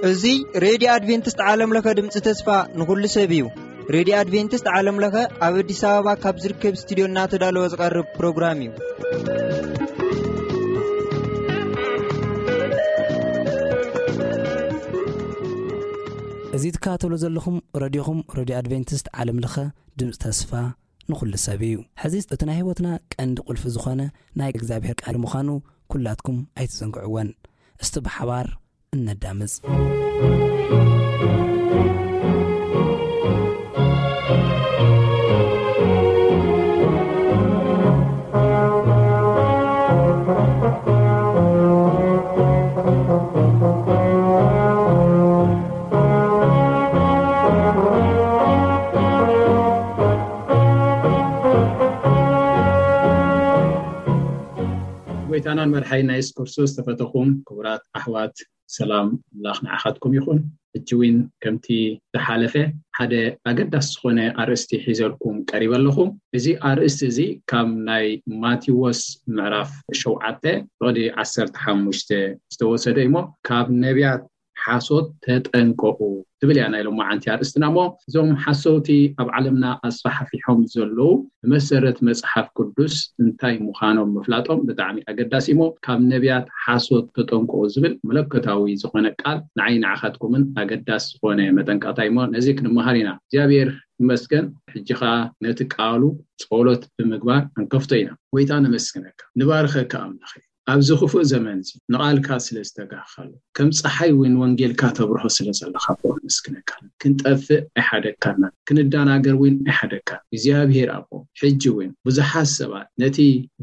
እዚ ሬድዮ ኣድቬንቲስት ዓለም ለኸ ድምፂ ተስፋ ንኹሉ ሰብ እዩ። ሬድዮ ኣድቬንቲስት ዓለም ለኸ ኣብ ኣዲስ ኣበባ ካብ ዝርከብ ስቱዲዮ እናተዳለወ ዝቐርብ ፕሮግራም እዩ። እዚ ትከታተሉ ዘለኹም ረድዮኹም ሬድዮ ኣድቬንቲስት ዓለም ለኸ ድምፂ ተስፋ ንኹሉ ሰብ እዩ። ሕዚ እቲ ናይ ህይወትና ቀንዲ ቁልፊ ዝኾነ ናይ እግዚኣብሔር ቃል ምዃኑ ኩላትኩም ኣይትዘንግዕወን። እስቲ ብሓባር እነዳምፅ። ጎይታናን መድሓይና የሱስ ክርስቶስ ዝተፈተኹም ክቡራት ኣሕዋት፣ ሰላም ኣምላኽ ንዓኻትኩም ይኹን። ሕጂ እውን ከምቲ ዝሓለፈ ሓደ ኣገዳሲ ዝኾነ ኣርእስቲ ሒዘልኩም ቀሪበ ኣለኹ። እዚ ኣርእስቲ እዚ ካብ ናይ ማቴዎስ ምዕራፍ ሸውዓተ ፍቕዲ ዓሰርተ ሓሙሽተ ዝተወሰደ እዩሞ፣ ካብ ነቢያት ሓሶት ተጠንቀቑ ትብል እያ ናይ ሎማዓንቲ ኣርእስትና። እሞ እዞም ሓሰውቲ ኣብ ዓለምና ኣስፋሕፊሖም ዘለዉ ብመሰረት መጽሓፍ ቅዱስ እንታይ ምዃኖም ምፍላጦም ብጣዕሚ ኣገዳሲ እሞ፣ ካብ ነቢያት ሓሶት ተጠንቀቑ ዝብል መለኮታዊ ዝኾነ ቃል ንዓይ ንዓኻትኩምን ኣገዳሲ ዝኾነ መጠንቀቕታ እዩሞ፣ ነዚ ክንመሃር ኢና። እግዚኣብሔር ይመስገን። ሕጂ ኸኣ ነቲ ቃሉ ጸሎት ብምግባር ክንከፍቶ ኢና። ጎይታ ነመስግነካ፣ ንባርኸካ ኣምላኸይ። ኣብዚ ክፉእ ዘመን እዚ ንቓልካ ስለ ዝተጋኻሉ፣ ከም ጸሓይ እውን ወንጌልካ ተብርሆ ስለ ዘለኻ ኣቦ ነመስግነካ። ክንጠፍእ ኣይሓደግካና፣ ክንደናገር እውን ኣይሓደግካን። እግዚኣብሔር ኣቦ፣ ሕጂ እውን ብዙሓት ሰባት ነቲ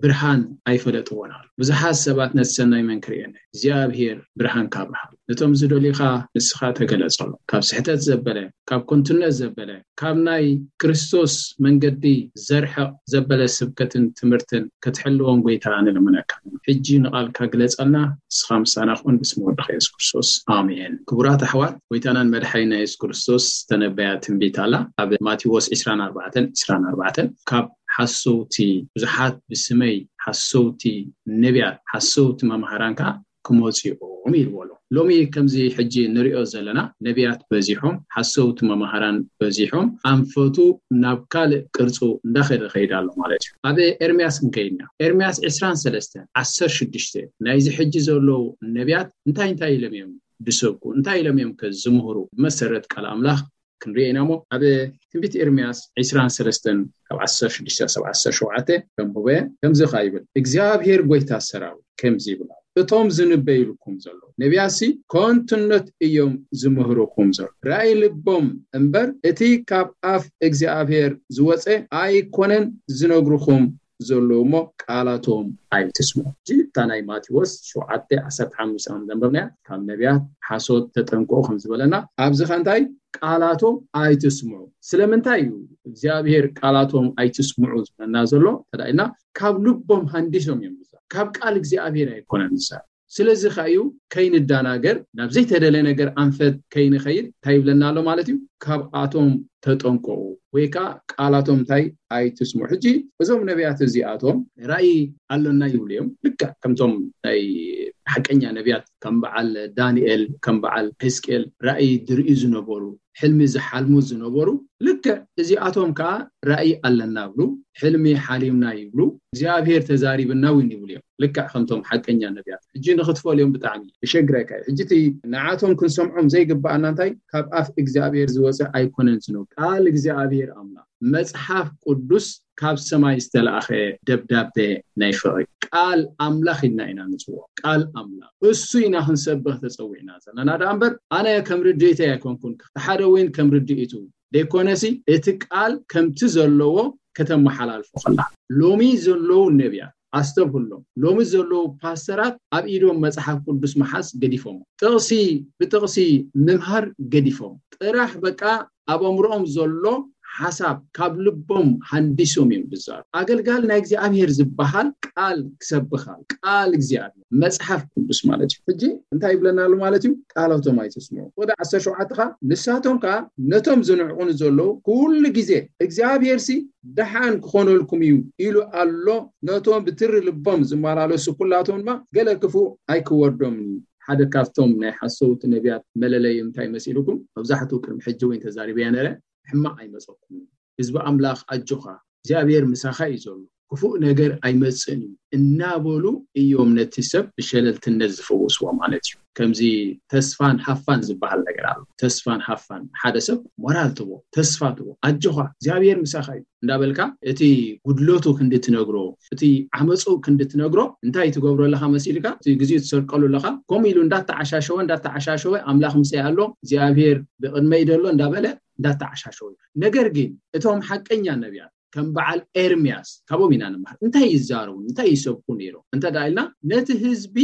ብርሃን ኣይፈለጥዎን ኣለዉ። ብዙሓት ሰባት ነቲ ሰናይ መን ክርእየና እዩ? እግዚኣብሔር ብርሃንካ ኣብርሃሉ። ነቶም ዝደልዩኻ ንስኻ ተገለጸሎም። ካብ ስሕተት ዘበለ፣ ካብ ከንቱነት ዘበለ፣ ካብ ናይ ክርስቶስ መንገዲ ዘርሕቕ ዘበለ ስብከትን ትምህርትን ክትሕልዎም ጎይታ ንልምነካ። ሕጂ ንቓልካ ግለጸልና፣ ንስኻ ምሳና ኩን፣ ብስም ወድኻ የሱስ ክርስቶስ፣ ኣሜን። ክቡራት ኣሕዋት፣ ጎይታናን መድሓኒና የሱስ ክርስቶስ ዝተነበያ ትንቢት ኣላ። ኣብ ማቴዎስ ዕስራን ኣርባዕተን፣ ዕስራን ኣርባዕተን፣ ካብ ሓሰውቲ፣ ብዙሓት ብስመይ ሓሰውቲ ነቢያት፣ ሓሰውቲ መምሃራን ከኣ ክመጹ እዮም ኢልዎ ኣሎ። ሎሚ ከምዚ ሕጂ ንሪኦ ዘለና ነቢያት በዚሖም፣ ሓሰውቲ መምሃራን በዚሖም፣ ኣንፈቱ ናብ ካልእ ቅርጹ እንዳኸደ ከይድ ኣሎ ማለት እዩ። ኣብ ኤርምያስ ክንከይድና፣ ኤርምያስ ዕስራን ሰለስተን፣ ዓሰርተ ሽዱሽተ፣ ናይዚ ሕጂ ዘለዉ ነቢያት እንታይ እንታይ ኢሎም እዮም ዝሰብኩ? እንታይ ኢሎም እዮም ከ ዝምህሩ? ብመሰረት ቃል ኣምላኽ ክንሪኦ ኢና እሞ፣ ኣብ ትንቢት ኤርምያስ ዕስራን ሰለስተን ካብ ዓሰርተ ሽዱሽተ ክሳብ ዓሰርተ ሸውዓተ ከንብቦ እየ። ከምዚ ኸኣ ይብል፣ እግዚኣብሔር ጐይታ ሰራዊት ከምዚ ይብል ኣሎ፣ እቶም ዝንበዩልኩም ዘለዉ ነቢያትሲ ከንቱነት እዮም ዝምህሩኹም ዘለዉ። ራእይ ልቦም እምበር፣ እቲ ካብ ኣፍ እግዚኣብሔር ዝወጸ ኣይኮነን ዝነግሩኹም ዘለዉ እሞ፣ ቃላቶም ኣይትስምዑ። ሕጂ እታ ናይ ማቴዎስ ሸውዓተ ዓሰርተ ሓሙሽተ ከም ዘንበብናያ፣ ካብ ነቢያት ሓሶት ተጠንቀቑ ከም ዝበለና፣ ኣብዚ ኸ እንታይ ቃላቶም ኣይትስምዑ። ስለምንታይ እዩ እግዚኣብሔር ቃላቶም ኣይትስምዑ ዝብለና ዘሎ እንተ ደኣ ኢልና፣ ካብ ልቦም ሃንዲሶም እዮም ዝዛረቡ። ካብ ቃል እግዚኣብሔር ኣይኮነን ዝዛረቡ። ስለዚ ኸኣ እዩ ከይንደናገር፣ ናብ ዘይተደለ ነገር ኣንፈት ከይንኸይድ እንታይ ይብለና ኣሎ ማለት እዩ? ካብኣቶም ተጠንቀቑ፣ ወይ ከኣ ቃላቶም እንታይ ኣይትስምዑ። ሕጂ እዞም ነቢያት እዚኣቶም ራእይ ኣሎና ይብሉ እዮም። ልክዕ ከምቶም ናይ ሓቀኛ ነቢያት ከም በዓል ዳንኤል፣ ከም በዓል ሕዝቅኤል ራእይ ዝርእዩ ዝነበሩ፣ ሕልሚ ዝሓልሙ ዝነበሩ፣ ልክዕ እዚኣቶም ከኣ ራእይ ኣለና ይብሉ፣ ሕልሚ ሓሊምና ይብሉ፣ እግዚኣብሔር ተዛሪብና እውን ይብሉ እዮም። ልክዕ ከምቶም ሓቀኛ ነቢያት። ሕጂ ንኽትፈልዮም ብጣዕሚ ይሸግረካ እዩ። ሕጂ እቲ ንዓቶም ክንሰምዖም ዘይግብኣና እንታይ? ካብ ኣፍ እግዚኣብሔር ዝወፀ ኣይኮነን ዝነብር። ቃል እግዚኣብሔር ኣምላኽ፣ መጽሓፍ ቅዱስ ካብ ሰማይ ዝተላእኸ ደብዳቤ ናይ ፍቕሪ ቃል ኣምላኽ ኢልና ኢና ንጽውዖ። ቃል ኣምላኽ እሱ ኢና ክንሰብኽ ተጸዊዕና ዘለና። ደኣ እምበር ኣነ ከም ርድኢተይ ኣይኮንኩን፣ እቲ ሓደ እውን ከም ርድኢቱ ደይኮነሲ፣ እቲ ቃል ከምቲ ዘለዎ ከተመሓላልፎ ከላ። ሎሚ ዘለዉ ነቢያት ኣስተብህሎም። ሎሚ ዘለዉ ፓስተራት ኣብ ኢዶም መጽሓፍ ቅዱስ ምሓዝ ገዲፎም። ጥቕሲ ብጥቕሲ ምምሃር ገዲፎም። ጥራሕ በቃ ኣብ ኣእምሮኦም ዘሎ ሓሳብ ካብ ልቦም ሃንዲሶም እዮም ዝዛረቡ። ኣገልጋሊ ናይ እግዚኣብሔር ዝበሃል ቃል ክሰብኻ፣ ቃል እግዚኣብሔር፣ መጽሓፍ ቅዱስ ማለት እዩ። ሕጂ እንታይ ይብለና ኣሎ ማለት እዩ? ቃሎቶም ኣይትስምዑ። ወደ ዓሰርተ ሸውዓተ ኸዓ፣ ንሳቶም ከኣ ነቶም ዝንዕቑኒ ዘለዉ ኩሉ ግዜ እግዚኣብሔር ሲ ደሓን ክኾነልኩም እዩ ኢሉ ኣሎ። ነቶም ብትሪ ልቦም ዝመላለሱ ኩላቶም ድማ ገለ ክፉእ ኣይክወርዶምን እዩ። ሓደ ካብቶም ናይ ሓሰውቲ ነቢያት መለለዩ እንታይ መሲልኩም? መብዛሕትኡ ቅድሚ ሕጂ እውን ተዛሪበያ ነረ፣ ሕማቕ ኣይመጸኩም። ህዝቢ ኣምላኽ ኣጆኻ፣ እግዚኣብሔር ምሳኻ እዩ ዘሎ፣ ክፉእ ነገር ኣይመጽእን እዩ እናበሉ እዮም ነቲ ሰብ ብሸለልትነት ዝፈወስዎ ማለት እዩ። ከምዚ ተስፋን ሃፋን ዝበሃል ነገር ኣሎ። ተስፋን ሃፋን፣ ሓደ ሰብ ሞራል ትቦ፣ ተስፋ ትቦ፣ ኣጆኻ እግዚኣብሔር ምሳኻ እዩ እንዳበልካ፣ እቲ ጉድለቱ ክንዲ ትነግሮ፣ እቲ ዓመፁ ክንዲ ትነግሮ፣ እንታይ ትገብሮ ኣለኻ መሲልካ? እቲ ግዜኡ ትሰርቀሉ ኣለኻ። ከምኡ ኢሉ እንዳተዓሻሸወ እንዳተዓሻሸወ፣ ኣምላኽ ምሳይ ኣሎ፣ እግዚኣብሔር ብቕድመይ ደሎ እንዳበለ እንዳተዓሻሸወ እዩ። ነገር ግን እቶም ሓቀኛ ነቢያት ከም በዓል ኤርምያስ ካብኦም ኢና ንምሃር። እንታይ ይዛረቡ፣ እንታይ ይሰብኩ ነይሮም እንተ ደኣ ኢልና፣ ነቲ ህዝቢ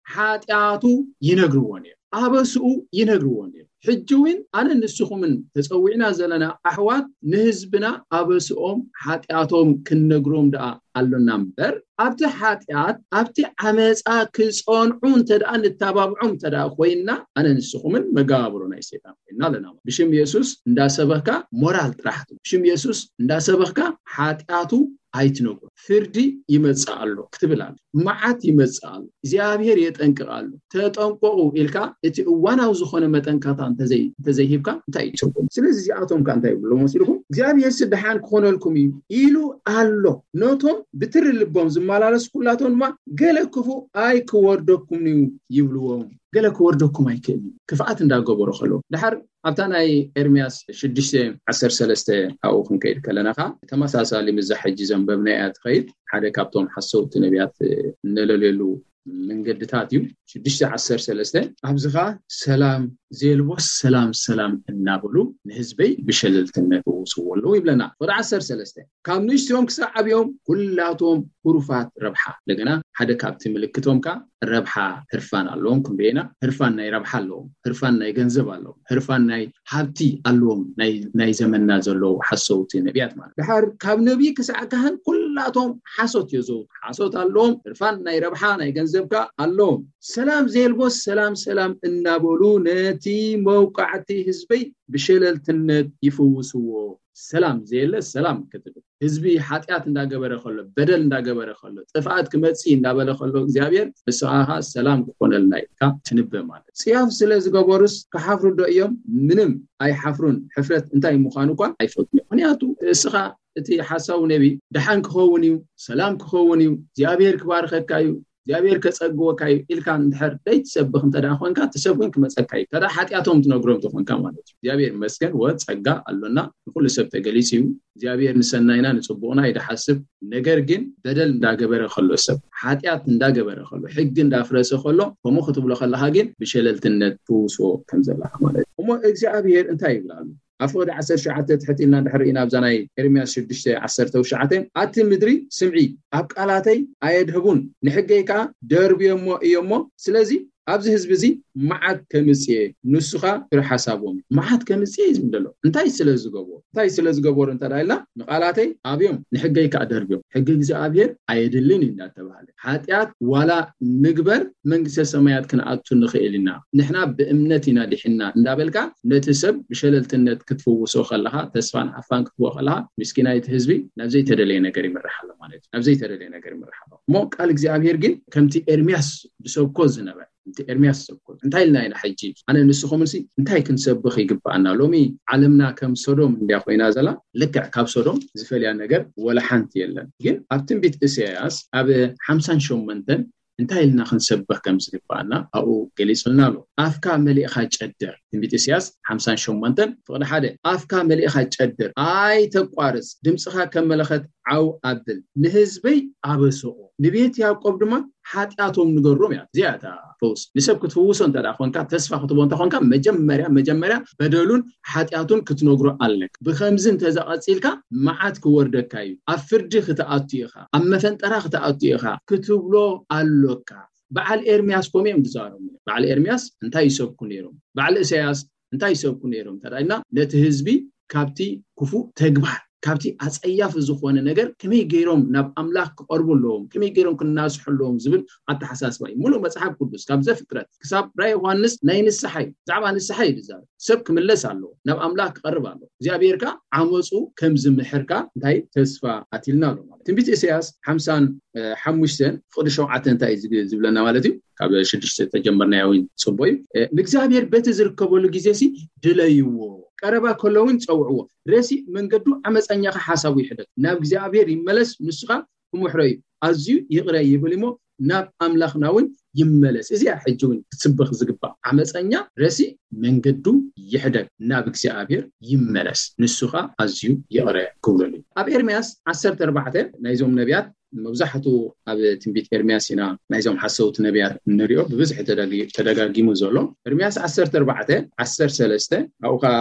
ሓጢኣቱ ይነግርዎ ነይሮም፣ ኣበስኡ ይነግርዎ ነይሮም። ሕጂ እውን ኣነ ንስኹምን ተጸዊዕና ዘለና ኣሕዋት ንህዝብና ኣበስኦም ሓጢኣቶም ክንነግሮም ደኣ ኣሎና እምበር፣ ኣብቲ ሓጢኣት ኣብቲ ዓመፃ ክጸንዑ እንተ ደኣ ንተባብዖም እንተ ደኣ ኮይንና፣ ኣነ ንስኹምን መጋብሮ ናይ ሰይጣን ኮይንና ኣለና። ብሽም የሱስ እንዳሰበኽካ ሞራል ጥራሕ ትብ፣ ብሽም የሱስ እንዳሰበኽካ ሓጢኣቱ ኣይትነግሮ። ፍርዲ ይመጽእ ኣሎ ክትብል ኣሎ፣ መዓት ይመጽእ ኣሎ፣ እግዚኣብሔር የጠንቅቕ ኣሎ። ተጠንቀቑ ኢልካ እቲ እዋናዊ ዝኾነ መጠንቀቕታ እንተዘይ-፣ እንተዘይሂብካ እንታይ እዩ ትርጉም? ስለዚ እዚኣቶም ከ እንታይ ይብሉ መሲልኩም? እግዚኣብሔር ሲ ደሓን ክኾነልኩም እዩ ኢሉ ኣሎ። ነቶም ብትሪ ልቦም ዝመላለሱ ኩላቶም ድማ ገለ ክፉእ ኣይክወርደኩም እዩ ይብልዎም። ገለ ክወርደኩም ኣይክእል እዩ። ክፍኣት እንዳገበሩ ከለዉ። ድሓር ኣብታ ናይ ኤርምያስ ሽዱሽተ ዓሰርተ ሰለስተ ኣብኡ ክንከይድ ከለና ኸዓ ተመሳሳሊ ምስዛ ሕጂ ዘንበብናያ ትኸይድ። ሓደ ካብቶም ሓሰውቲ ነቢያት እነለልየሉ መንገድታት እዩ። ሽዱሽተ ዓሰርተ ሰለስተ፣ ኣብዚ ኸዓ ሰላም ዘየልቦስ ሰላም ሰላም እናበሉ ንህዝበይ ብሸለልትነት ይውስዎ ኣለዉ ይብለና። ወደ ዓሰርተ ሰለስተ፣ ካብ ንእሽቶም ክሳብ ዓብዮም ኩላቶም ህሩፋት ረብሓ። እንደገና ሓደ ካብቲ ምልክቶም ከ ረብሓ ህርፋን ኣለዎም ክንደየና። ህርፋን ናይ ረብሓ ኣለዎም፣ ህርፋን ናይ ገንዘብ ኣለዎም፣ ህርፋን ናይ ሃብቲ ኣለዎም። ናይ፣ ናይ ዘመንና ዘለዉ ሓሰውቲ ነቢያት ማለት። ድሓር ካብ ነቢይ ክሳዕ ካህን ኩላቶም ሓሶት የዘውቱ። ሓሶት ኣለዎም፣ ህርፋን ናይ ረብሓ ናይ ገንዘብ ከ ኣለዎም። ሰላም ዘየልቦስ ሰላም ሰላም እናበሉ ነቲ መውቃዕቲ ህዝበይ ብሸለልትነት ይፍውስዎ። ሰላም ዘየለ ሰላም ክትብል፣ ህዝቢ ሓጢኣት እንዳገበረ ከሎ፣ በደል እንዳገበረ ከሎ፣ ጥፍኣት ክመጽእ እንዳበለ ከሎ እግዚኣብሔር ንስኻ ኸዓ ሰላም ክኾነልና ኢልካ ትንበ ማለት። ጽያፍ ስለ ዝገበሩስ ክሓፍሩ ዶ እዮም? ምንም ኣይሓፍሩን። ሕፍረት እንታይ ምዃኑ እኳ ኣይፈልጡን እዮም። ምኽንያቱ እስኻ እቲ ሓሳዊ ነቢ ደሓን ክኸውን እዩ፣ ሰላም ክኸውን እዩ፣ እግዚኣብሔር ክባርኸካ እዩ፣ እግዚኣብሔር ከጸግወካ እዩ ኢልካ እንድሕር ደይትሰብኽ እንተ ደኣ ኮንካ፣ እቲ ሰብ እውን ክመጸካ እዩ። እንተ ደኣ ሓጢኣቶም ትነግሮም ተኾንካ ማለት እዩ። እግዚኣብሔር ይመስገን፣ ወ ጸጋ ኣሎና፣ ንኹሉ ሰብ ተገሊጹ እዩ። እግዚኣብሔር ንሰናይና ንጽቡቕና እዩ ዝሓስብ። ነገር ግን በደል እንዳገበረ ከሎ፣ ሰብ ሓጢኣት እንዳገበረ ከሎ፣ ሕጊ እንዳፍረሰ ከሎ፣ ከምኡ ክትብሎ ከለኻ ግን ብሸለልትነት ትውስዎ ከም ዘለኻ ማለት እዩ። እሞ እግዚኣብሔር እንታይ ይብል ኣሎ? ኣብ ፍቕዲ ዓሰርተ ትሽዓተ ትሕት ኢልና እንድሕር ርኢና፣ ኣብዛ ናይ ኤርምያስ ሽዱሽተ ዓሰርተ ትሽዓተ፣ ኣቲ ምድሪ ስምዒ፣ ኣብ ቃላተይ ኣየድህቡን፣ ንሕገይ ከኣ ደርብዮሞ እዮሞ። ስለዚ ኣብዚ ህዝቢ እዚ መዓት ከምጽእ እየ፣ ንሱ ኸኣ ፍረ ሓሳቦም እዩ። መዓት ከምጽእ እዩ ዝብል ዘሎ። እንታይ ስለ ዝገበሩ? እንታይ ስለ ዝገበሩ እንተ ደኣ ኢልና፣ ንቓላተይ ኣብዮም፣ ንሕገይ ከኣ ደርብዮም። ሕጊ እግዚኣብሔር ኣየድልን እዩ እንዳተባህለ። ሓጢኣት ዋላ ንግበር መንግስተ ሰማያት ክንኣቱ ንኽእል ኢና። ንሕና ብእምነት ኢና ድሒንና እንዳበልካ ነቲ ሰብ ብሸለልትነት ክትፍውሶ ከለኻ፣ ተስፋን ሓፋን ክትህቦ ከለኻ፣ ምስኪናይ እቲ ህዝቢ ናብ ዘይተደለየ ነገር ይምራሕ ኣሎ ማለት እዩ። ናብ ዘይተደለየ ነገር ይምራሕ ኣሎ። እሞ ቃል እግዚኣብሔር ግን ከምቲ ኤርምያስ ዝሰብኮ ዝነበረ፣ ከምቲ ኤርምያስ ዝሰብኮ፣ እንታይ ኢልና ኢና ሕጂ? ኣነ ንስኹምንሲ እንታይ ክንሰብኽ ይግብኣና? ሎሚ ዓለምና ከም ሶዶም እንድያ ኮይና ዘላ። ልክዕ ካብ ሶዶም ዝፈልያ ነገር ወላ ሓንቲ የለን። ግን ኣብ ትንቢት እሳያስ ኣብ ሓምሳን ሸሞንተን እንታይ ኢልና ክንሰብኽ ከም ዝግብኣና ኣብኡ ገሊጹልና ኣሎ። ኣፍካ መሊእኻ ጨድር። ትንቢት ኢሳያስ ሓምሳን ሸሞንተን ፍቕዲ ሓደ፣ ኣፍካ መሊእኻ ጨድር፣ ኣይተቋርጽ፣ ድምጽኻ ከም መለኸት ዓው ኣብል፣ ንህዝበይ ኣበስኦ፣ ንቤት ያዕቆብ ድማ ሓጢኣቶም ንገሮም እያ። እዚኣ እታ ፈውሲ። ንሰብ ክትፍውሶ እንተ ደኣ ኮንካ፣ ተስፋ ክትቦ እንተ ኮንካ፣ መጀመርያ፣ መጀመርያ በደሉን ሓጢኣቱን ክትነግሮ ኣለካ። ብኸምዚ እንተ ዘቐጺልካ፣ መዓት ክወርደካ እዩ። ኣብ ፍርዲ ክትኣቱ ኢኻ። ኣብ መፈንጠራ ክትኣቱ ኢኻ ክትብሎ ኣሎካ። በዓል ኤርምያስ ከምኡ እዮም ዝዛረቡ። በዓል ኤርምያስ እንታይ ይሰብኩ ነይሮም? በዓል እሳያስ እንታይ ይሰብኩ ነይሮም እንተ ደኣ ኢልና፣ ነቲ ህዝቢ ካብቲ ክፉእ ተግባር፣ ካብቲ ኣጸያፊ ዝኾነ ነገር ከመይ ገይሮም ናብ ኣምላኽ ክቐርቡ ኣለዎም፣ ከመይ ገይሮም ክናስሑ ኣለዎም ዝብል ኣተሓሳስባ እዩ። ሙሉእ መጽሓፍ ቅዱስ ካብ ዘፍጥረት ክሳብ ራእይ ዮሃንስ ናይ ንስሓ እዩ። ብዛዕባ ንስሓ እዩ ዝዛረብ። ሰብ ክምለስ ኣለዎ፣ ናብ ኣምላኽ ክቐርብ ኣለዎ። እግዚኣብሔር ከኣ ዓመፁ ከም ዝምሕር ከኣ እንታይ ተስፋ ኣትልና ኣሎ ማለት። ትንቢት ኢሳያስ ሓምሳን ሓሙሽተን ፍቕዲ ሸውዓተ እንታይ እዩ ዝግ- ዝብለና ማለት እዩ? ካብ ሽዱሽተ ተጀመርናዮ እውን ጽቡቅ እዩ። ንእግዚኣብሔር በቲ ዝርከበሉ ግዜ ሲ ድለይዎ፣ ቀረባ ከሎ እውን ጸውዕዎ። ረሲእ መንገዱ ዓመፀኛ ሓሳቡ ይሕደግ፣ ናብ እግዚኣብሔር ይመለስ፣ ንሱ ኸኣ ክምሕሮ እዩ፣ ኣዝዩ ይቕረ ይብል እሞ ናብ ኣምላኽና እውን ይመለስ። እዚኣ ሕጂ እውን ክትስበኽ ዝግባእ፣ ዓመፀኛ ረሲእ መንገዱ ይሕደግ፣ ናብ እግዚኣብሔር ይመለስ፣ ንሱ ኸኣ ኣዝዩ ይቕረ ክብለሉ እዩ። ኣብ ኤርምያስ ዓሰርተ ኣርባዕተ ናይዞም ነቢያት መብዛሕቱ ኣብ ትንቢት ኤርምያስ ኢና ናይዞም ሓሰውቲ ነቢያት እንሪኦ ብብዝሒ ተደጊ- ተደጋጊሙ ዘሎ። ኤርምያስ ዓሰርተ ኣርባዕተ ዓሰርተ ሰለስተ ኣብኡ ኸዓ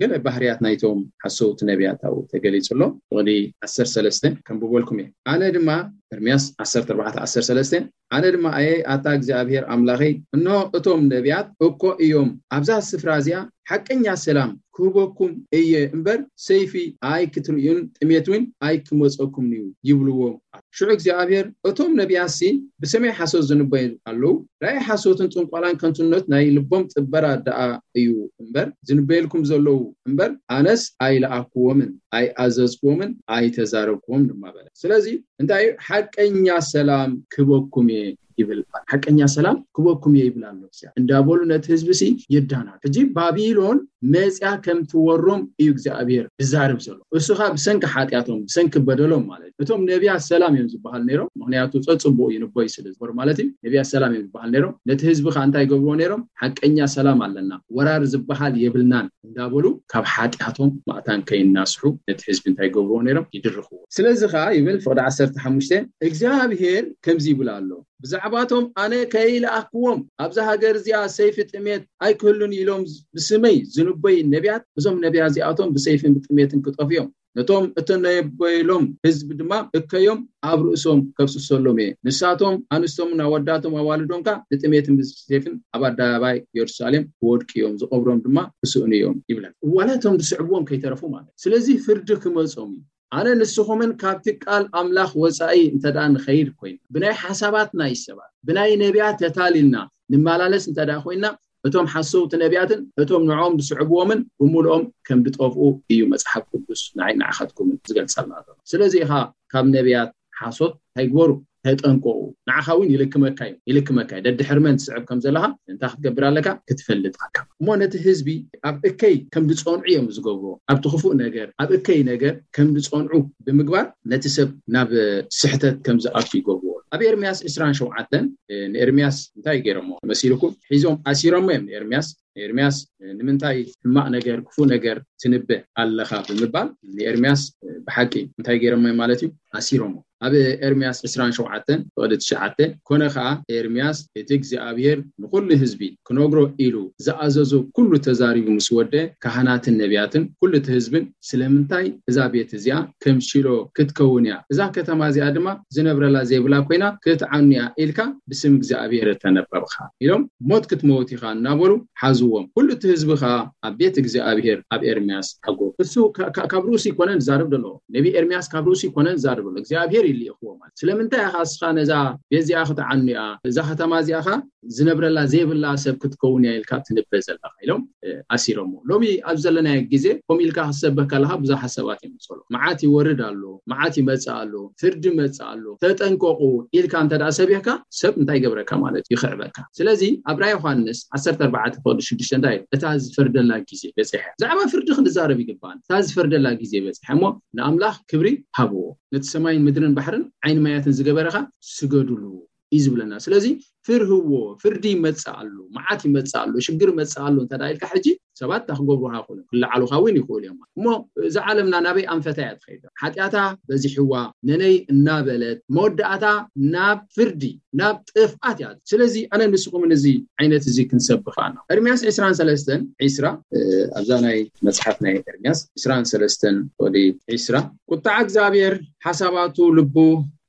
ገለ ባህርያት ናይቶም ሓሰውቲ ነቢያት ኣብኡ ተገሊጹ ኣሎ። ፍቕዲ ዓሰርተ ሰለስተ ከንብበልኩም እየ። ኣነ ድማ፣ ኤርምያስ ዓሰርተ ኣርባዕተ ዓሰርተ ሰለስተ ኣነ ድማ ኣየ ኣታ እግዚኣብሔር ኣምላኸይ፣ እንሆ እቶም ነቢያት እኮ እዮም ኣብዛ ስፍራ እዚኣ ሓቀኛ ሰላም ክህበኩም እየ እምበር፣ ሰይፊ ኣይክትርእዩን ጥሜት እውን ኣይክመጸኩምን እዩ ይብልዎም። ሽዑ እግዚኣብሔር፣ እቶም ነቢያትሲ ብስመይ ሓሶት ዝንበዩ ኣለዉ፣ ራእይ ሓሶትን ጥንቆላን ከንቱነት ናይ ልቦም ጥበራ ደኣ እዩ እምበር ዝንበየልኩም ዘለዉ እምበር፣ ኣነስ ኣይለኣክዎምን ኣይኣዘዝክዎምን ኣይተዛረብክዎም ድማ በለ። ስለዚ እንታይ እዩ? ሓቀኛ ሰላም ክበኩም እየ ይብል። ሓቀኛ ሰላም ክበኩም እየ ይብል ኣሎ እግዚኣብሔር። እንዳበሉ ነቲ ህዝቢ ሲ የዳናሉ። ሕጂ ባቢሎን መጽያ ከም ትወሮም እዩ እግዚኣብሔር ዝዛረብ ዘሎ። እሱ ኸኣ ብሰንኪ ሓጢኣቶም፣ ብሰንኪ በደሎም ማለት እዩ። እቶም ነቢያት ሰላም እዮም ዝበሃል ነይሮም፣ ምኽንያቱ ጸጽቡቕ ይንበዩ ስለ ዝበሩ ማለት እዩ። ነቢያት ሰላም እዮም ዝበሃል ነይሮም። ነቲ ህዝቢ ኸኣ እንታይ ይገብርዎ ነይሮም? ሓቀኛ ሰላም ኣለና፣ ወራር ዝበሃል የብልናን እንዳበሉ ካብ ሓጢኣቶም ማእታን ከይናስሑ ነቲ ህዝቢ እንታይ ይገብርዎ ነይሮም? ይድርኽዎ። ስለዚ ኸኣ ይብል ፍቕዲ ዓሰርተ ሓሙሽተ እግዚኣብሔር ከምዚ ይብል ኣሎ፣ ብዛዕባቶም ኣነ ከይለኣክዎም ኣብዛ ሃገር እዚኣ ሰይፊ ጥሜት ኣይክህሉን ኢሎም ብስመይ ዝንበዩ ነቢያት፣ እዞም ነቢያት እዚኣቶም ብሰይፍን ብጥሜትን ክጠፍኡ እዮም። ነቶም እተነበየሎም ህዝቢ ድማ እከዮም ኣብ ርእሶም ከፍስሰሎም እየ። ንሳቶም ኣንስቶምን ኣወዳቶም ኣዋልዶም ከኣ ብጥሜትን ብሰይፍን ኣብ ኣደባባይ የሩሳሌም ክወድቁ እዮም፣ ዝቐብሮም ድማ ክስእኑ እዮም ይብለን። ዋላ እቶም ዝስዕብዎም ከይተረፉ ማለት። ስለዚ ፍርዲ ክመጾም እዩ። ኣነ ንስኹምን ካብቲ ቃል ኣምላኽ ወጻኢ እንተ ደኣ ንኸይድ ኮይና፣ ብናይ ሓሳባት ናይ ሰባት፣ ብናይ ነቢያት ተታሊልና ንመላለስ እንተ ደኣ ኮይና፣ እቶም ሓሰውቲ ነቢያትን እቶም ንዕኦም ዝስዕብዎምን ብምሉኦም ከም ዝጠፍኡ እዩ መጽሓፍ ቅዱስ ንዓይ ንዓኻትኩምን ዝገልጸልና ዘሎ። ስለዚ ኢኻ ካብ ነቢያት ሓሶት ኣይግበሩ፣ ተጠንቀቑ። ንዓኻ እውን ይልክመካ እዩ፣ ይልክመካ እዩ። ደድሕሪ መን ትስዕብ ከም ዘለኻ እንታይ ክትገብር ኣለካ? ክትፈልጥ ኣለካ። እሞ ነቲ ህዝቢ ኣብ እከይ ከም ዝጸንዑ እዮም ዝገብርዎ። ኣብቲ ክፉእ ነገር፣ ኣብ እከይ ነገር ከም ዝጸንዑ ብምግባር ነቲ ሰብ ናብ ስሕተት ከም ዝኣቱ ይገብርዎ። ኣብ ኤርምያስ ዕስራን ሸውዓተን ንኤርምያስ እንታይ ገይሮሞ መሲልኩም? ሒዞም ኣሲሮሞ እዮም ንኤርምያስ። ንኤርምያስ ንምንታይ ሕማቕ ነገር፣ ክፉእ ነገር ትንብእ ኣለኻ ብምባል ንኤርምያስ ብሓቂ እንታይ ገይሮሞ ማለት እዩ? ኣሲሮሞ። ኣብ ኤርምያስ ዕስራን ሸውዓተን ፍቕዲ ትሽዓተ፣ ኮነ ኸኣ ኤርምያስ እቲ እግዚኣብሔር ንኹሉ ህዝቢ ክነግሮ ኢሉ ዝኣዘዞ ኩሉ ተዛሪቡ ምስ ወደ፣ ካህናትን ነቢያትን ኩሉ እቲ ህዝብን ስለምንታይ እዛ ቤት እዚኣ ከም ሺሎ ክትከውን እያ፣ እዛ ከተማ እዚኣ ድማ ዝነብረላ ዘይብላ ኮይና ክትዓኑ እያ ኢልካ ብስም እግዚኣብሔር እተነበብኻ ኢሎም፣ ሞት ክትመውት ኢኻ እናበሉ ሓዝዎም። ኩሉ እቲ ህዝቢ ኸኣ ኣብ ቤት እግዚኣብሔር ኣብ ኤርምያስ ሓጎ። እሱ ካ- ካ- ካብ ርእሱ ይኮነን ዝዛረብ ዘሎ። ነቢ ኤርምያስ ካብ ርእሱ ይኮነን ዝዛረብ ዘሎ። እግዚኣብሔር ይልእኽዎ ማለት። ስለምንታይ ኢኻ እስኻ ነዛ ቤት እዚኣ ክትዓኑ እያ፣ እዛ ከተማ እዚኣ ኸኣ ዝነብረላ ዘይብላ ሰብ ክትከውን እያ ኢልካ ትንበ ዘለኻ ኢሎም ኣሲሮሞ። ሎሚ ኣብ ዘለናዮ ግዜ ከምኡ ኢልካ ክትሰብህ ከለኻ ብዙሓት ሰባት እዮም ዝጸልኡ። መዓት ይወርድ ኣሎ፣ መዓት ይመጽእ ኣሎ፣ ፍርዲ ይመጽእ ኣሎ፣ ተጠንቀቑ ኢልካ እንተ ደኣ ሰቢህካ ሰብ እንታይ ይገብረካ ማለት እዩ? ይኽዕበካ። ስለዚ ኣብ ራእይ ዮሃንስ ዓሰርተ ኣርባዕተ ፍቕዲ ሽዱሽተ እንታይ እዩ? እታ ዝፈርደላ ግዜ በጺሐ። ብዛዕባ ፍርዲ ክንዛረብ ይግባን። እታ ዝፈርደላ ግዜ በጺሐ እሞ ንኣምላኽ ክብሪ ሃብዎ። ነቲ ሰማይን ምድርን ባሕርን ዓይኒ ማያትን ዝገበረኻ ስገዱሉ እዩ ዝብለና። ስለዚ ፍርህዎ፣ ፍርዲ ይመጽእ ኣሎ፣ መዓት ይመጽእ ኣሎ፣ ሽግር ይመጽእ ኣሎ እንተ ደኣ ኢልካ ሕጂ ሰባት እንታይ ክገብሩኻ ይኽእሉ እዮም? ክለዓሉኻ እውን ይኽእሉ እዮም። እሞ እዛ ዓለምና ናበይ ኣንፈታ እያ ትኸይድ? ሓጢኣታ በዚሕዋ ነነይ እናበለት መወዳእታ ናብ ፍርዲ ናብ ጥፍኣት እያ። ስለዚ ኣነ ንስኹምን እዚ ዓይነት እዚ ክንሰብኽ ኣለና። ኤርምያስ ዕስራን ሰለስተን ዕስራ ኣብዛ ናይ መጽሓፍ ናይ ኤርምያስ ዕስራን ሰለስተን ወዲ ዕስራ ቁጣዕ እግዚኣብሔር ሓሳባቱ ልቡ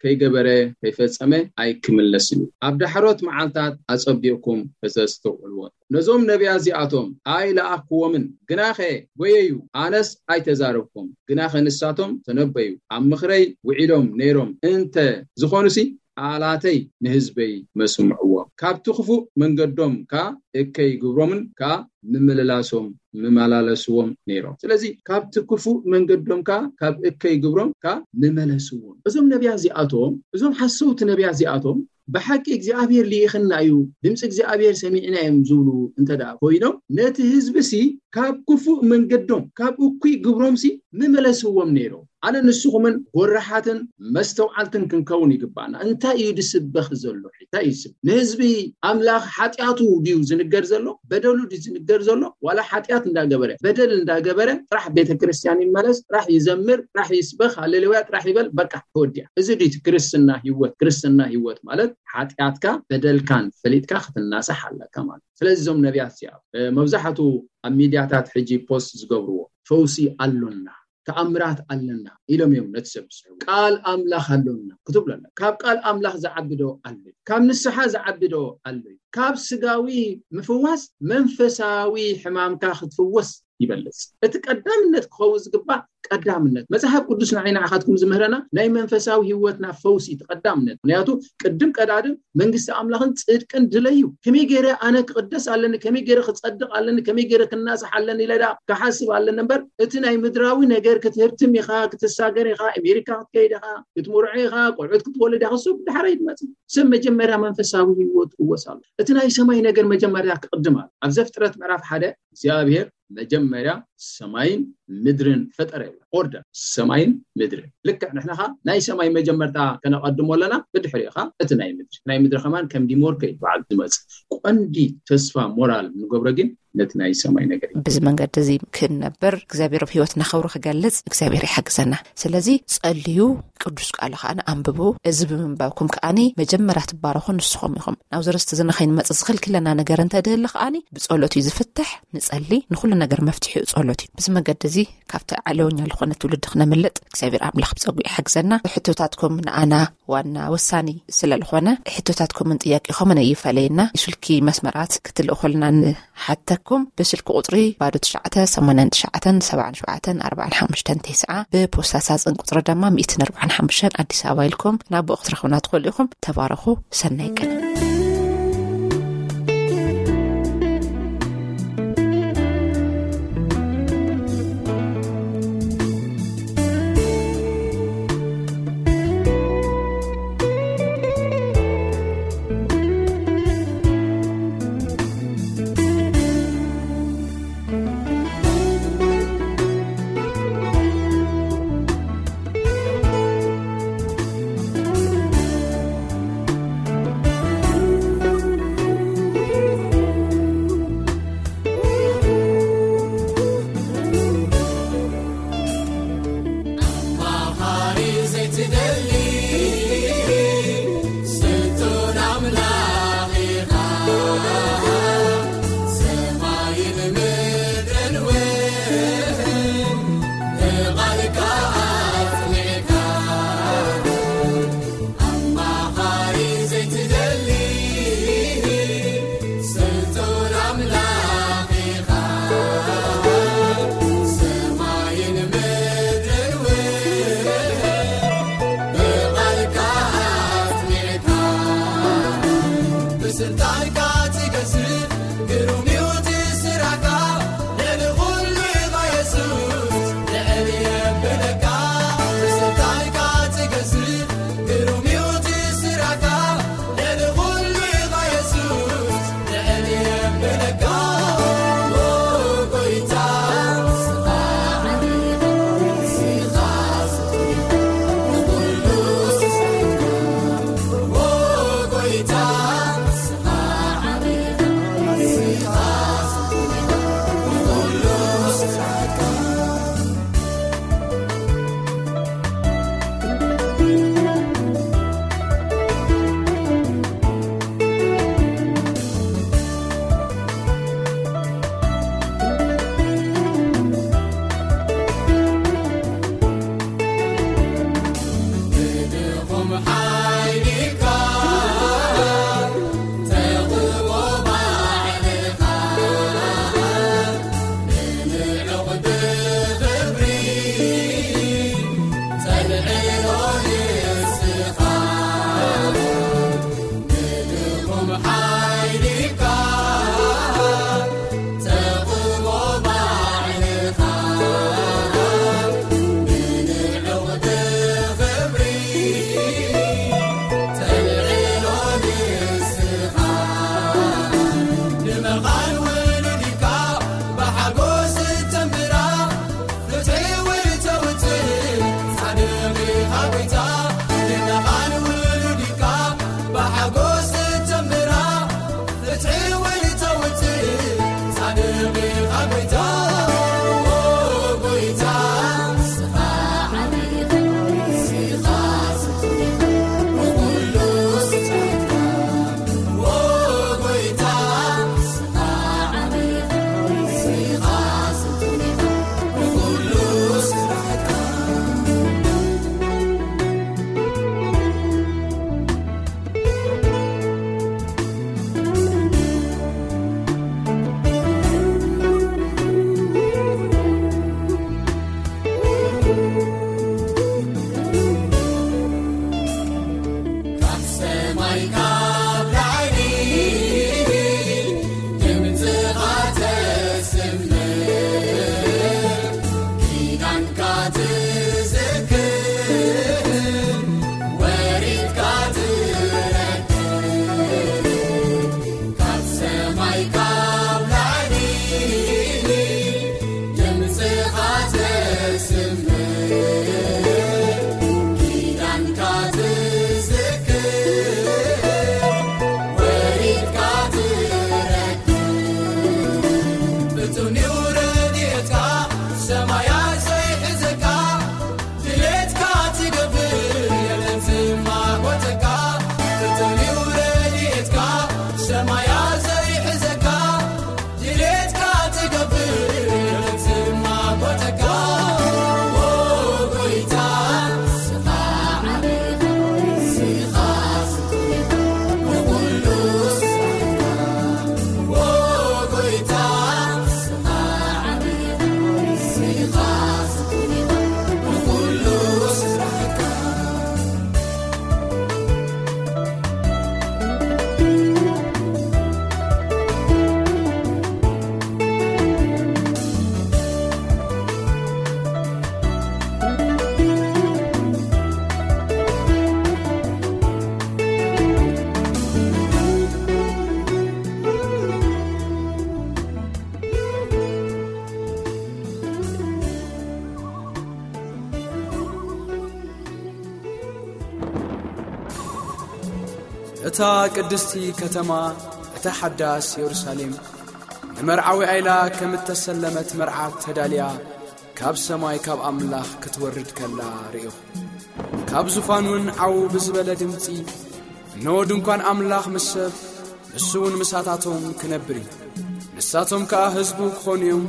ከይገበረ ከይፈጸመ ኣይክምለስን እዩ። ኣብ ዳሕሮት መዓልታት ኣጸቢቕኩም ከተስተውዕልዎ። ነዞም ነቢያት እዚኣቶም ኣይለኣኽክዎምን፣ ግናኸ ጐየዩ፣ ኣነስ ኣይተዛረብኩም። ግናኸ ንሳቶም ተነበዩ፣ ኣብ ምኽረይ ውዒሎም ነይሮም እንተ ዝኾኑሲ፣ ቃላተይ ንህዝበይ መስምዕዎም። ካብቲ ክፉእ መንገዶም ከኣ እከይ ግብሮምን ከኣ ምምልላሶም ምመላለስዎም ነይሮም። ስለዚ ካብቲ ክፉእ መንገዶም ከኣ ካብ እከይ ግብሮም ከኣ ምመለስዎም። እዞም ነቢያት እዚኣቶም፣ እዞም ሓሰውቲ ነቢያት እዚኣቶም ብሓቂ እግዚኣብሔር ልኢኽና እዩ፣ ድምፂ እግዚኣብሔር ሰሚዕና እዮም ዝብሉ እንተ ደኣ ኮይኖም፣ ነቲ ህዝቢ ሲ ካብ ክፉእ መንገዶም፣ ካብ እኩይ ግብሮም ሲ ምመለስዎም ነይሮም። ኣነ ንስኹምን ጎራሓትን መስተውዓልትን ክንከውን ይግባና። እንታይ እዩ ዝስበኽ ዘሎ? እንታይ እዩ ዝስበኽ? ንህዝቢ ኣምላኽ ሓጢኣቱ ድዩ ዝንገር ዘሎ? በደሉ ድዩ ዝንገር ዘሎ? ዋላ ሓጢኣት እንዳገበረ፣ በደል እንዳገበረ ጥራሕ ቤተ ክርስቲያን ይመለስ፣ ጥራሕ ይዘምር፣ ጥራሕ ይስበኽ፣ ሃሌሉያ ጥራሕ ይበል፣ በቃ ተወዲኣ። እዚ ድዩ እቲ ክርስትና ህይወት? ክርስትና ህይወት ማለት ሓጢኣትካ በደልካን ፈሊጥካ ክትናሳሕ ኣለካ ማለት። ስለዚ እዞም ነቢያት እዚኣ መብዛሕቱ ኣብ ሚድያታት ሕጂ ፖስት ዝገብርዎ ፈውሲ ኣሎና፣ ተኣምራት ኣለና ኢሎም እዮም ነቲ ሰብ ዝስሕቡ። ቃል ኣምላኽ ኣሎና ክትብሎ ኣለ። ካብ ቃል ኣምላኽ ዝዓቢ ዶ ኣሎ? ካብ ንስሓ ዝዓቢ ዶ ኣሎ? ካብ ስጋዊ ምፍዋስ መንፈሳዊ ሕማምካ ክትፍወስ ይበልጽ። እቲ ቀዳምነት ክኸውን ዝግባእ ቀዳምነት መጽሓፍ ቅዱስ ንዓይ ንዓኻትኩም ዝምህረና ናይ መንፈሳዊ ህይወትና ፈውሲ እቲ ቀዳምነት። ምክንያቱ ቅድም ቀዳድም መንግስቲ ኣምላኽን ጽድቅን ድለዩ። ከመይ ገይረ ኣነ ክቕደስ ኣለኒ፣ ከመይ ገይረ ክጸድቕ ኣለኒ፣ ከመይ ገይረ ክናሳሕ ኣለኒ ኢለ ደኣ ክሓስብ ኣለኒ እምበር፣ እቲ ናይ ምድራዊ ነገር ክትህብትም ኢኻ፣ ክትሳገር ኢኻ፣ ኣሜሪካ ክትከይድ ኢኻ፣ ክትምርዖ ኢኻ፣ ቆልዑት ክትወልድ ኢኻ፣ እሱ ብድሕረይ ትመጽእ። ሰብ መጀመርያ መንፈሳዊ ህይወት ክወስ ኣሎ። እቲ ናይ ሰማይ ነገር መጀመርያ ክቕድም ኣሎ። ኣብ ዘፍጥረት ምዕራፍ ሓደ እግዚኣብሔር መጀመርያ ሰማይን ምድርን ፈጠረ ይብላ። ኦርደር ሰማይን ምድርን። ልክዕ ንሕና ኸኣ ናይ ሰማይ መጀመርታ ከነቐድሞ ኣለና፣ ብድሕሪኡ ኸኣ እቲ ናይ ምድሪ። ናይ ምድሪ ከማን ከም ዲሞርከ እዩ በዓል ዝመጽእ። ቀንዲ ተስፋ ሞራል ንገብሮ ግን ነቲ ናይ ሰማይ ነገር እዩ። በዚ መንገዲ እዚ ክንነብር እግዚኣብሔር ኣብ ህይወትና ክብሩ ክገልጽ እግዚኣብሔር ይሓግዘና። ስለዚ ጸልዩ፣ ቅዱስ ቃሉ ከኣ ኣንብቡ። እዚ ብምንባብኩም ከኣኒ መጀመርያ ትባረኹ ንስኹም ኢኹም። ናብዚ ርስቲ እዚ ንኸይንመጽእ ዝኽልክለና ነገር እንተ ድህሊ ከኣኒ ብጸሎት እዩ ዝፍትሕ። ንጸሊ፣ ንኹሉ ነገር መፍትሒኡ ጸሎት እዩ። በዚ መንገዲ እዚ ካብቲ ዓለወኛ ዝኾነ ትውልዲ ክነምልጥ እግዚኣብሔር ኣምላኽ ብጸጉ ይሓግዘና። ሕቶታትኩም ንኣና ዋና ወሳኒ ስለ ዝኾነ ሕቶታትኩምን ጥያቄኹምን ኣይፈለየና። ስልኪ መስመራት ክትልእኹልና ንሓተኩም። ብስልኪ ቁጽሪ ባዶ ትሽዓተ ሰማንያን ትሽዓተን ሰብዓን ሸውዓተን ኣርባዓን ሓሙሽተን ተስዓ፣ ብፖስታ ሳጽን ቁጽሪ ድማ ሚእትን ኣርባዓን ሓሙሽተን ኣዲስ ኣበባ ኢልኩም ናብ ብኡ ክትረኽቡና ትኽእሉ ኢኹም። ተባረኹ። ሰናይ ቀን። እታ ቅድስቲ ከተማ፣ እታ ሓዳስ የሩሳሌም፣ ንመርዓዊ ኣይላ ከም እተሰለመት መርዓት ተዳልያ፣ ካብ ሰማይ ካብ ኣምላኽ ክትወርድ ከላ ርእኹ። ካብ ዙፋን እውን ዓው ብዝበለ ድምጺ፣ "እንሆ ድንኳን ኣምላኽ ምስ ሰብ፣ ንሱ እውን ምሳታቶም ክነብር እዩ። ንሳቶም ከኣ ህዝቡ ክኾኑ እዮም፣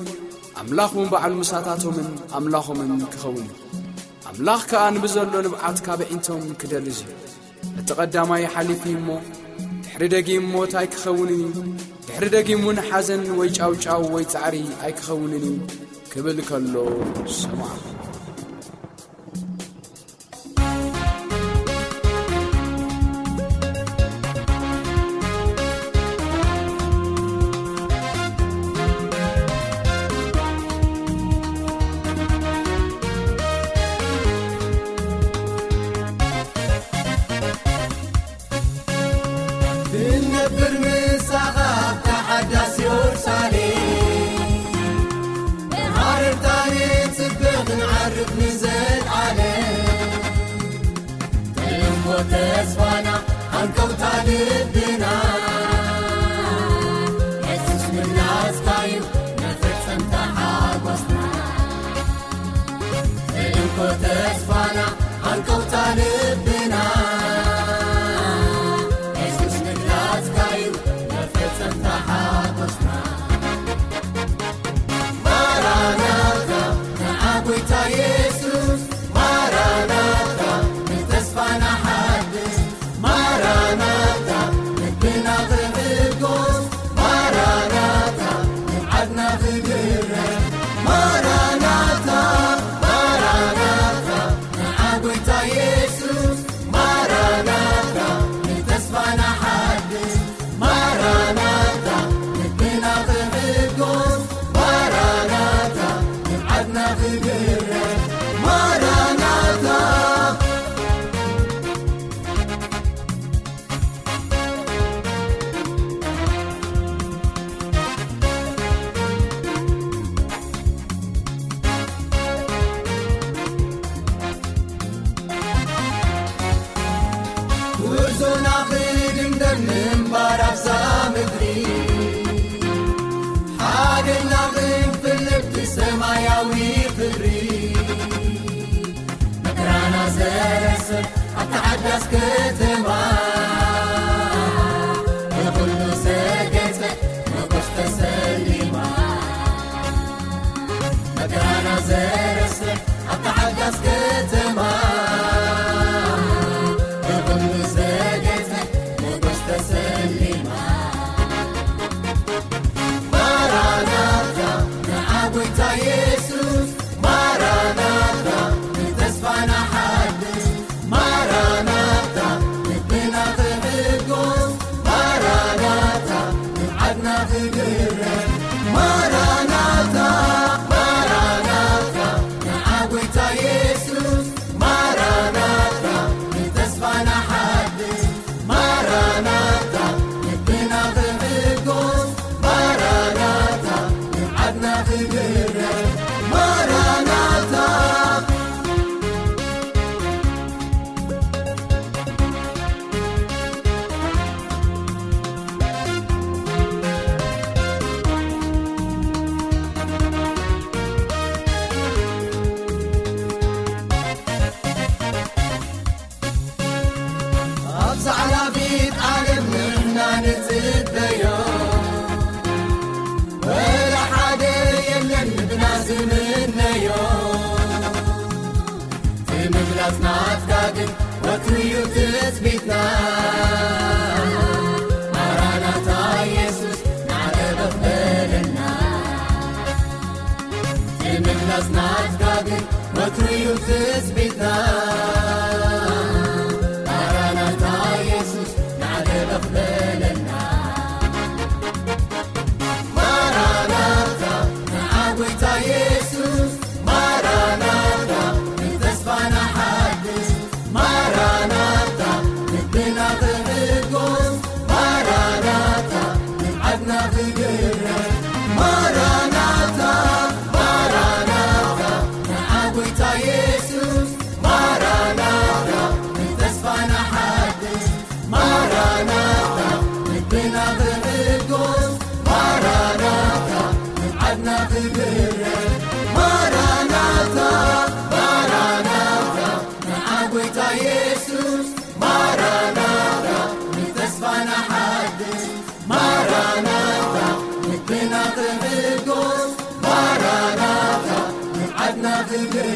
ኣምላኽ እውን ባዕሉ ምሳታቶምን ኣምላኾምን ክኸውን እዩ። ኣምላኽ ከኣ ንብዘሎ ንብዓት ካብ ኣዒንቶም ክደልዝ እዩ። እቲ ቀዳማይ ሓሊፉ እሞ፣ ድሕሪ ደጊም ሞት ኣይክኸውንን እዩ፣ ድሕሪ ደጊም እውን ሓዘን ወይ ጫውጫው ወይ ጻዕሪ ኣይክኸውንን እዩ" ክብል ከሎ ሰምዓ። ክንነብር ምሳኻ ኣብታ ሓዳስ የሩሳሌም፣ ብሃረርታ ንጽበ ክንዓርፍ ንዘልኣለም። ተልእኮ ተስፋና፣ ሃንቀውታ ልብና፣ የሱስ ምላስካ'ዩ መፈጸምታ ሓጎስና። ተልእኮ ተስፋና፣ ሃንቀውታ ልብና፣ የሱስ ምላስካ'ዩ መፈጸምታ ሓጎስና። ማራናታ፣ ንዓ ጎይታ የሱስ፣ ማራናታ፣ ንተስፋና ሓድስ፣ ማራናታ፣ ልብና ክሕጎስ፣ ማራናታ፣ ንብዓትና ክድረስ፣ ማራናታ፣ ማራናታ፣ ንዓ ጎይታ የሱስ፣ ማራናታ፣ ንተስፋና ሓድስ፣ ማራናታ፣ ልብና ክሕጎስ፣ ማራናታ፣ ንብዓትና ክድረስ፣ ማራናታ። ጉዕዞና ክድምደም ምንባር ኣብዛ ምድሪ፣ ሓደና ክንፍለጥ ብሰማያዊ ክብሪ። መከራና ዘረሰ ኣብታ ሓዳስ ከተማ፣ ብኹሉ ዘጌጸ መጎስ ተሰሊማ። መከራና ዘረሰ ኣብታ ሓዳስ ከተማ፣ ብኹሉ ዘጌጸ መጎስ ተሰሊማ። ማራናታ፣ ንዓ ጎይታ የሱስ፣ ማራናታ፣ ንተስፋና ሓድስ፣ ማራናታ፣ ጎይታ ኢየሱስ ማራናታ፣ ንተስፋና ሓድስ ማራናታ፣ ልብና ክሕጎስ ማራናታ፣ ንዓድና ክብረ